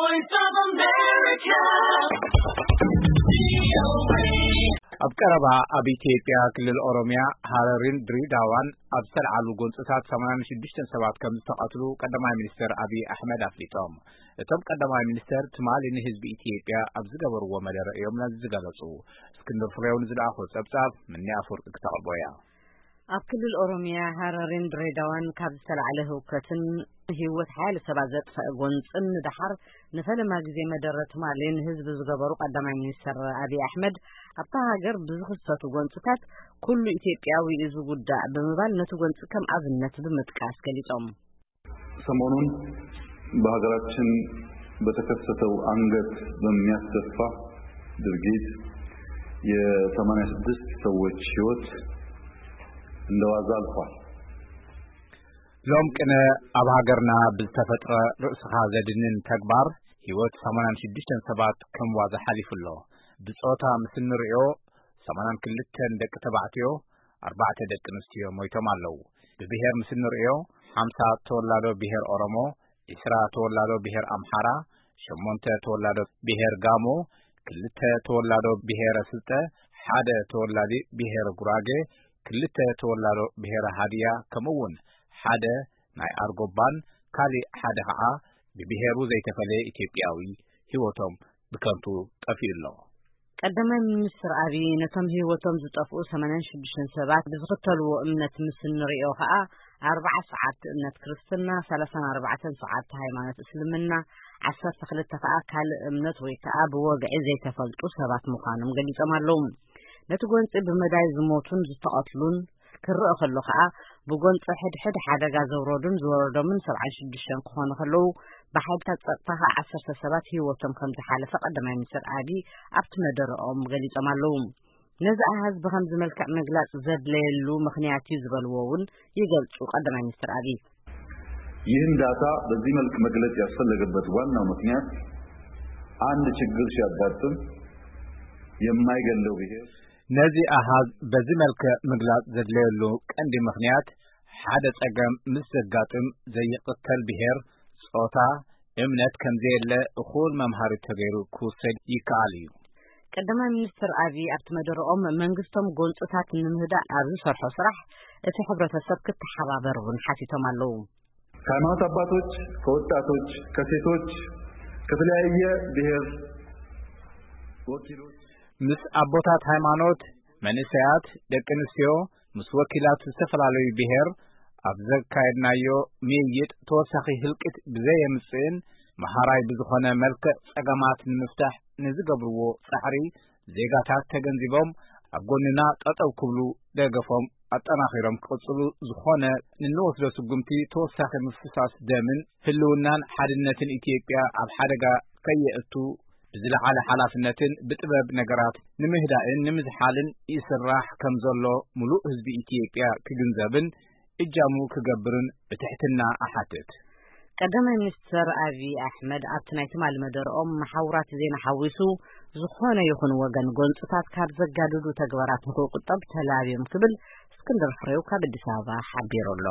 Voice of America. ኣብ ቀረባ ኣብ ኢትዮጵያ ክልል ኦሮሚያ ሃረሪን ድሬዳዋን ኣብ ዝተልዓሉ ጎንፅታት ሰማንያን ሽዱሽተን ሰባት ከም ዝተቐትሉ ቀዳማይ ሚኒስትር ኣብይ ኣሕመድ ኣፍሊጦም። እቶም ቀዳማይ ሚኒስትር ትማሊ ንህዝቢ ኢትዮጵያ ኣብ ዝገበርዎ መደረ እዮም ነዚ ዝገለጹ። እስክንድር ፍሬው ንዝለኣኾ ጸብጻብ ምኒ ኣፈወርቂ ክተቕርቦ እያ። ኣብ ክልል ኦሮሚያ ሃረሪን ድሬዳዋን ካብ ዝተላዕለ ህውከትን ህይወት ሓያለ ሰባት ዘጥፈአ ጎንፅን ንደሓር ንፈለማ ግዜ መደረ ትማሊ ንህዝቢ ዝገበሩ ቀዳማይ ሚኒስትር ኣብይ ኣሕመድ፣ ኣብታ ሃገር ብዝኽሰቱ ጎንፅታት ኩሉ ኢትዮጵያዊ እዩ ዝጉዳእ ብምባል ነቲ ጎንፂ ከም ኣብነት ብምጥቃስ ገሊጾም። ሰሞኑን በሀገራችን በተከሰተው አንገት በሚያስደፋ ድርጊት የሰማንያ ስድስት ሰዎች ህይወት እንደዋዛ አልፏል። ሎም ቅነ ኣብ ሃገርና ብዝተፈጥረ ርእስኻ ዘድንን ተግባር ህይወት ሰማንያን ሽዱሽተን ሰባት ከም ዋዛ ሓሊፉ ኣሎ። ብጾታ ምስ እንርእዮ ሰማንያን ክልተን ደቂ ተባዕትዮ፣ ኣርባዕተ ደቂ ኣንስትዮ ሞይቶም ኣለዉ። ብብሄር ምስ እንርእዮ ሓምሳ ተወላዶ ብሄር ኦሮሞ፣ ዒስራ ተወላዶ ብሄር ኣምሓራ፣ ሸሞንተ ተወላዶ ብሄር ጋሞ፣ ክልተ ተወላዶ ብሄረ ስልጠ፣ ሓደ ተወላዲ ብሄረ ጉራጌ፣ ክልተ ተወላዶ ብሄረ ሃድያ፣ ከምኡ እውን ሓደ ናይ ኣርጎባን ካሊእ ሓደ ከዓ ብብሄሩ ዘይተፈለየ ኢትዮጵያዊ ህይወቶም ብከንቱ ጠፊኡ ኣሎ። ቀዳማይ ሚኒስትር ኣብይ ነቶም ህይወቶም ዝጠፍኡ ሰማንያን ሽዱሽተን ሰባት ብዝኽተልዎ እምነት ምስ እንሪኦ ከዓ ኣርብዓ ሰዓብቲ እምነት ክርስትና፣ ሰላሳን ኣርባዕተን ሰዓብቲ ሃይማኖት እስልምና፣ ዓሰርተ ክልተ ከዓ ካልእ እምነት ወይ ከዓ ብወግዒ ዘይተፈልጡ ሰባት ምዃኖም ገሊጾም ኣለዉ። ነቲ ጎንፂ ብመዳይ ዝሞቱን ዝተቐትሉን ክረአ ከሎ ከዓ ብጎንፂ ሕድሕድ ሓደጋ ዘውረዱን ዝወረዶምን ሰብዓን ሽዱሽተን ክኾኑ ከለዉ ብሓይልታት ፀጥታ ከዓ ዓሰርተ ሰባት ህይወቶም ከም ዝሓለፈ ቀዳማይ ሚኒስትር ኣብይ ኣብቲ መደረኦም ገሊፆም ኣለዉ። ነዚ ኣሃዝ ብኸምዚ መልክዕ ምግላፅ ዘድለየሉ ምኽንያት እዩ ዝበልዎ እውን ይገልፁ ቀዳማይ ሚኒስትር ኣብይ። ይህን ዳታ በዚህ መልክ መግለጽ ያስፈለገበት ዋናው ምክንያት አንድ ችግር ሲያጋጥም የማይገለው ብሔር ነዚ ኣሃዝ በዚ መልክዕ ምግላጽ ዘድለየሉ ቀንዲ ምኽንያት ሓደ ጸገም ምስ ዘጋጥም ዘይቕተል ብሔር፣ ጾታ፣ እምነት ከምዘየለ እኹል መምሃሪ ተገይሩ ክውሰድ ይከኣል እዩ። ቀዳማይ ሚኒስትር ኣብይ ኣብቲ መደረኦም መንግስቶም ጎንፅታት ንምህዳእ ኣብ ዝሰርሖ ስራሕ እቲ ሕብረተሰብ ክተሓባበር እውን ሓቲቶም ኣለዉ። ከሃይማኖት አባቶች፣ ከወጣቶች፣ ከሴቶች፣ ከተለያየ ብሔር ወኪሎች ምስ ኣቦታት ሃይማኖት፣ መንእሰያት፣ ደቂ ኣንስትዮ፣ ምስ ወኪላት ዝተፈላለዩ ብሔር ኣብ ዘካየድናዮ ምይይጥ ተወሳኺ ህልቂት ብዘየምጽእን መሃራይ ብዝኾነ መልክዕ ጸገማት ንምፍታሕ ንዝገብርዎ ጻዕሪ ዜጋታት ተገንዚቦም ኣብ ጎንና ጠጠው ክብሉ ደገፎም ኣጠናኺሮም ክቕጽሉ ዝኾነ ንንወስዶ ስጉምቲ ተወሳኺ ምፍሳስ ደምን ህልውናን ሓድነትን ኢትዮጵያ ኣብ ሓደጋ ከየእቱ ብዝለዓለ ሓላፍነትን ብጥበብ ነገራት ንምህዳእን ንምዝሓልን ይስራሕ ከም ዘሎ ሙሉእ ህዝቢ ኢትዮጵያ ክግንዘብን እጃሙ ክገብርን ብትሕትና እሓትት። ቀዳማይ ሚኒስትር ኣብይ ኣሕመድ ኣብቲ ናይ ትማሊ መደርኦም መሓውራት ዜና ሓዊሱ ዝኾነ ይኹን ወገን ጎንፅታት ካብ ዘጋድዱ ተግባራት ንክቁጠብ ተላብዮም ክብል እስክንድር ፍሬው ካብ ኣዲስ ኣበባ ሓቢሩ ኣሎ።